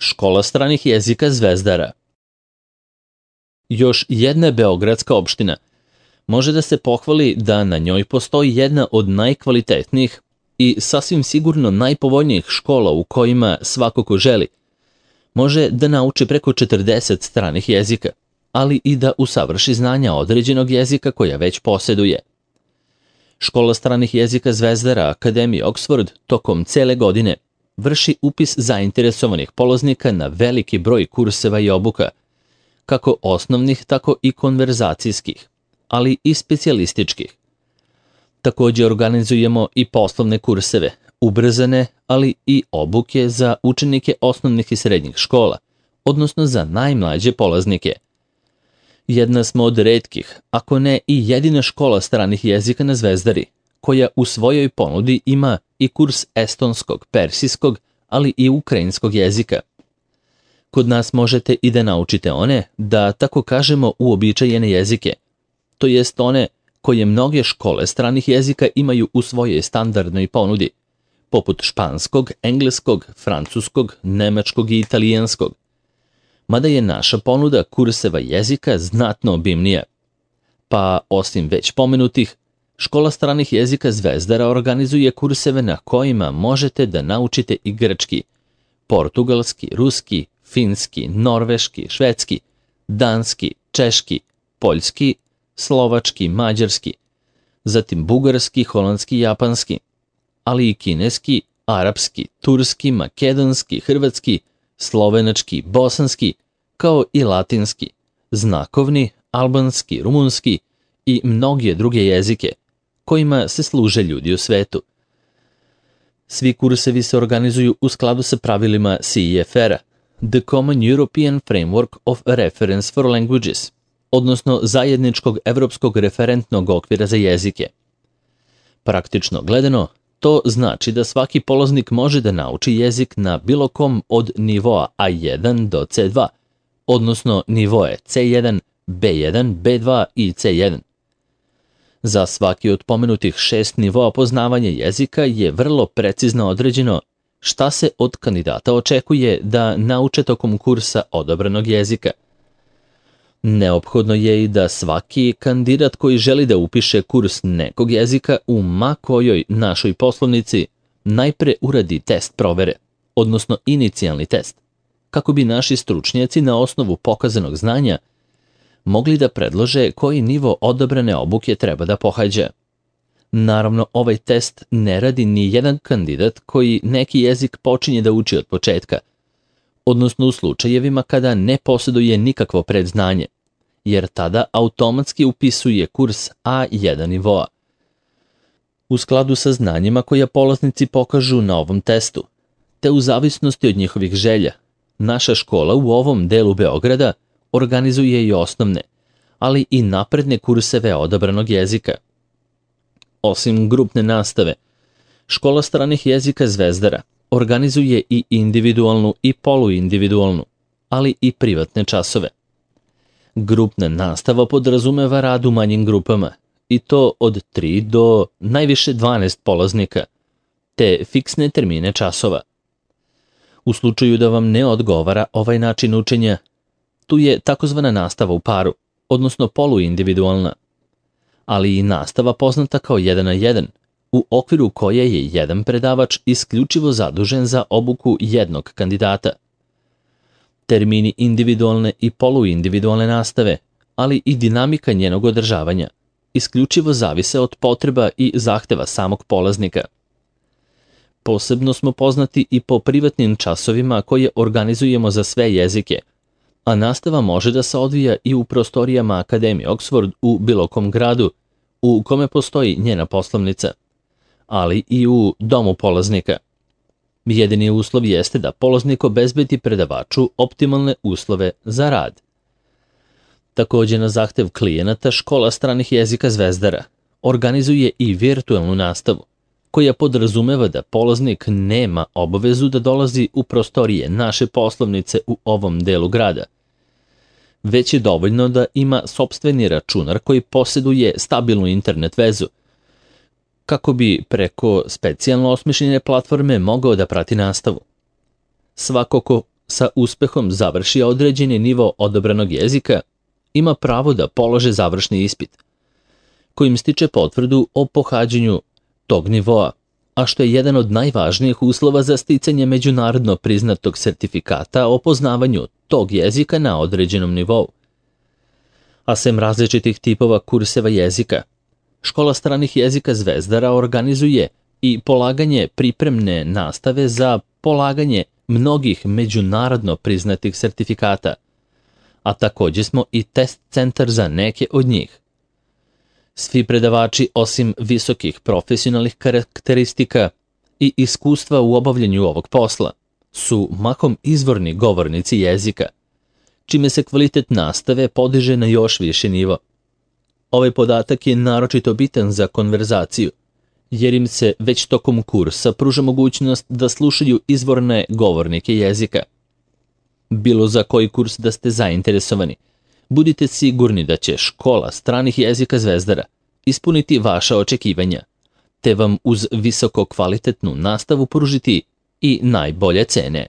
Škola stranih jezika Zvezdara. Još jedna beogradska opština može da se pohvali da na njoj postoji jedna od najkvalitetnijih i sasvim sigurno najpovoljnijih škola u kojima svako ko želi može da nauči preko 40 stranih jezika, ali i da usavrši znanja određenog jezika koja već poseduje. Škola stranih jezika Zvezdara Akademije Oxford tokom cele godine vrši upis zainteresovanih polaznika na veliki broj kurseva i obuka, kako osnovnih, tako i konverzacijskih, ali i specijalističkih. Također organizujemo i poslovne kurseve, ubrzane, ali i obuke za učenike osnovnih i srednjih škola, odnosno za najmlađe polaznike. Jedna smo od retkih, ako ne i jedina škola stranih jezika na Zvezdari, koja u svojoj ponudi ima i kurs estonskog, persijskog, ali i ukrajinskog jezika. Kod nas možete i da naučite one, da tako kažemo, uobičajene jezike, to jest one koje mnoge škole stranih jezika imaju u svojoj standardnoj ponudi, poput španskog, engleskog, francuskog, nemačkog i italijanskog. Mada je naša ponuda kurseva jezika znatno obimnija. Pa, osim već pomenutih, Škola stranih jezika Zvezdara organizuje kurseve na kojima možete da naučite i grčki, portugalski, ruski, finski, norveški, švedski, danski, češki, poljski, slovački, mađarski, zatim bugarski, holandski, japanski, ali i kineski, arapski, turski, makedonski, hrvatski, slovenački, bosanski, kao i latinski, znakovni, albanski, rumunski i mnoge druge jezike, kojima se služe ljudi u svetu. Svi kursevi se organizuju u skladu sa pravilima CEFR-a, The Common European Framework of Reference for Languages, odnosno zajedničkog evropskog referentnog okvira za jezike. Praktično gledano, to znači da svaki polaznik može da nauči jezik na bilo kom od nivoa A1 do C2, odnosno nivoe C1, B1, B2 i C1. Za svaki od pomenutih 6 nivoa poznavanja jezika je vrlo precizno određeno šta se od kandidata očekuje da nauče tokom kursa odabranog jezika. Neophodno je i da svaki kandidat koji želi da upiše kurs nekog jezika u ma kojoj našoj poslovnici najpre uradi test provere, odnosno inicijalni test, kako bi naši stručnjaci na osnovu pokazanog znanja mogli da predlože koji nivo odabrane obuke treba da pohađa. Naravno, ovaj test ne radi ni jedan kandidat koji neki jezik počinje da uči od početka, odnosno u slučajevima kada ne posjeduje nikakvo predznanje, jer tada automatski upisuje kurs A1 nivoa. U skladu sa znanjima koja polaznici pokažu na ovom testu, te u zavisnosti od njihovih želja, naša škola u ovom delu Beograda organizuje i osnovne, ali i napredne kurseve odabranog jezika. Osim grupne nastave, Škola stranih jezika Zvezdara organizuje i individualnu i poluindividualnu, ali i privatne časove. Grupna nastava podrazumeva rad u manjim grupama, i to od 3 do najviše 12 polaznika, te fiksne termine časova. U slučaju da vam ne odgovara ovaj način učenja, tu je takozvana nastava u paru, odnosno poluindividualna, ali i nastava poznata kao 1 na 1, u okviru koje je jedan predavač isključivo zadužen za obuku jednog kandidata. Termini individualne i poluindividualne nastave, ali i dinamika njenog održavanja, isključivo zavise od potreba i zahteva samog polaznika. Posebno smo poznati i po privatnim časovima koje organizujemo za sve jezike, a nastava može da se odvija i u prostorijama Akademije Oxford u bilo kom gradu u kome postoji njena poslovnica, ali i u domu polaznika. Jedini uslov jeste da polaznik obezbedi predavaču optimalne uslove za rad. Također na zahtev klijenata Škola stranih jezika Zvezdara organizuje i virtualnu nastavu, koja podrazumeva da polaznik nema obavezu da dolazi u prostorije naše poslovnice u ovom delu grada, već je dovoljno da ima sopstveni računar koji posjeduje stabilnu internet vezu, kako bi preko specijalno osmišljene platforme mogao da prati nastavu. Svako ko sa uspehom završi određeni nivo odabranog jezika, ima pravo da polože završni ispit, kojim stiče potvrdu o pohađanju tog nivoa, a što je jedan od najvažnijih uslova za sticanje međunarodno priznatog sertifikata o poznavanju tog jezika na određenom nivou. A sem različitih tipova kurseva jezika, Škola stranih jezika Zvezdara organizuje i polaganje pripremne nastave za polaganje mnogih međunarodno priznatih sertifikata, a također smo i test centar za neke od njih. Svi predavači, osim visokih profesionalnih karakteristika i iskustva u obavljanju ovog posla, su mahom izvorni govornici jezika, čime se kvalitet nastave podiže na još više nivo. Ovaj podatak je naročito bitan za konverzaciju, jer im se već tokom kursa pruža mogućnost da slušaju izvorne govornike jezika. Bilo za koji kurs da ste zainteresovani, budite sigurni da će Škola stranih jezika Zvezdara ispuniti vaša očekivanja, te vam uz visoko kvalitetnu nastavu pružiti i najbolje cene.